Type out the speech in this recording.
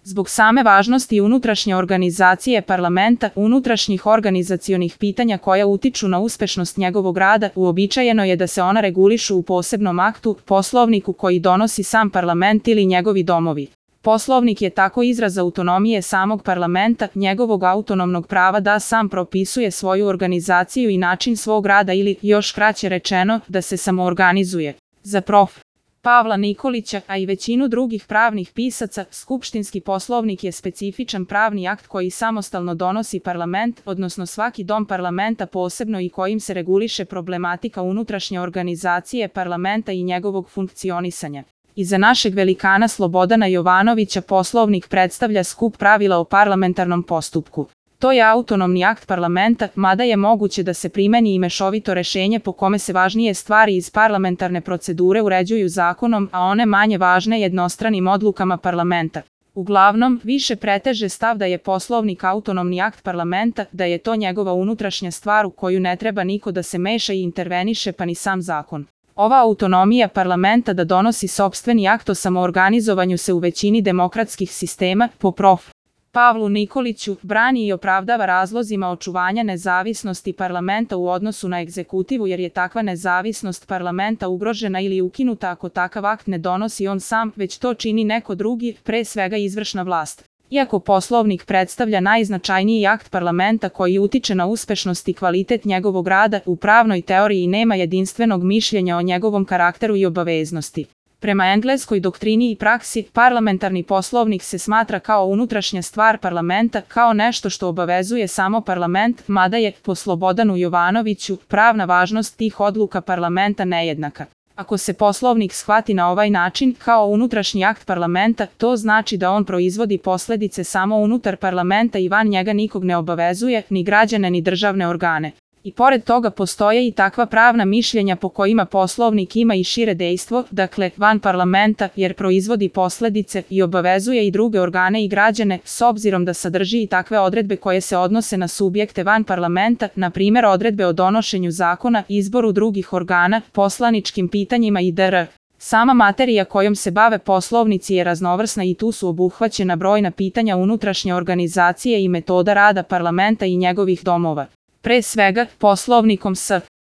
Zbog same važnosti unutrašnje organizacije parlamenta, unutrašnjih organizacionih pitanja koja utiču na uspešnost njegovog rada, uobičajeno je da se ona regulišu u posebnom aktu, poslovniku koji donosi sam parlament ili njegovi domovi. Poslovnik je tako izraz autonomije samog parlamenta, njegovog autonomnog prava da sam propisuje svoju organizaciju i način svog rada ili, još kraće rečeno, da se samoorganizuje. Za prof. Pavla Nikolića, a i većinu drugih pravnih pisaca, skupštinski poslovnik je specifičan pravni akt koji samostalno donosi parlament, odnosno svaki dom parlamenta posebno i kojim se reguliše problematika unutrašnje organizacije parlamenta i njegovog funkcionisanja. Iza našeg velikana Slobodana Jovanovića poslovnik predstavlja skup pravila o parlamentarnom postupku. To je autonomni akt parlamenta, mada je moguće da se primeni i mešovito rešenje po kome se važnije stvari iz parlamentarne procedure uređuju zakonom, a one manje važne jednostranim odlukama parlamenta. Uglavnom, više preteže stav da je poslovnik autonomni akt parlamenta, da je to njegova unutrašnja stvar u koju ne treba niko da se meša i interveniše pa ni sam zakon. Ova autonomija parlamenta da donosi sopstveni akt o samoorganizovanju se u većini demokratskih sistema, po prof. Pavlu Nikoliću, brani i opravdava razlozima očuvanja nezavisnosti parlamenta u odnosu na egzekutivu jer je takva nezavisnost parlamenta ugrožena ili ukinuta ako takav akt ne donosi on sam, već to čini neko drugi, pre svega izvršna vlast. Iako poslovnik predstavlja najznačajniji akt parlamenta koji utiče na uspešnost i kvalitet njegovog rada, u pravnoj teoriji nema jedinstvenog mišljenja o njegovom karakteru i obaveznosti. Prema engleskoj doktrini i praksi, parlamentarni poslovnik se smatra kao unutrašnja stvar parlamenta, kao nešto što obavezuje samo parlament, mada je, po Slobodanu Jovanoviću, pravna važnost tih odluka parlamenta nejednaka. Ako se poslovnik shvati na ovaj način, kao unutrašnji akt parlamenta, to znači da on proizvodi posledice samo unutar parlamenta i van njega nikog ne obavezuje, ni građane ni državne organe. I pored toga postoje i takva pravna mišljenja po kojima poslovnik ima i šire dejstvo, dakle, van parlamenta, jer proizvodi posledice i obavezuje i druge organe i građane, s obzirom da sadrži i takve odredbe koje se odnose na subjekte van parlamenta, na primjer odredbe o donošenju zakona, izboru drugih organa, poslaničkim pitanjima i dr. Sama materija kojom se bave poslovnici je raznovrsna i tu su obuhvaćena brojna pitanja unutrašnje organizacije i metoda rada parlamenta i njegovih domova. Pre svega, poslovnikom s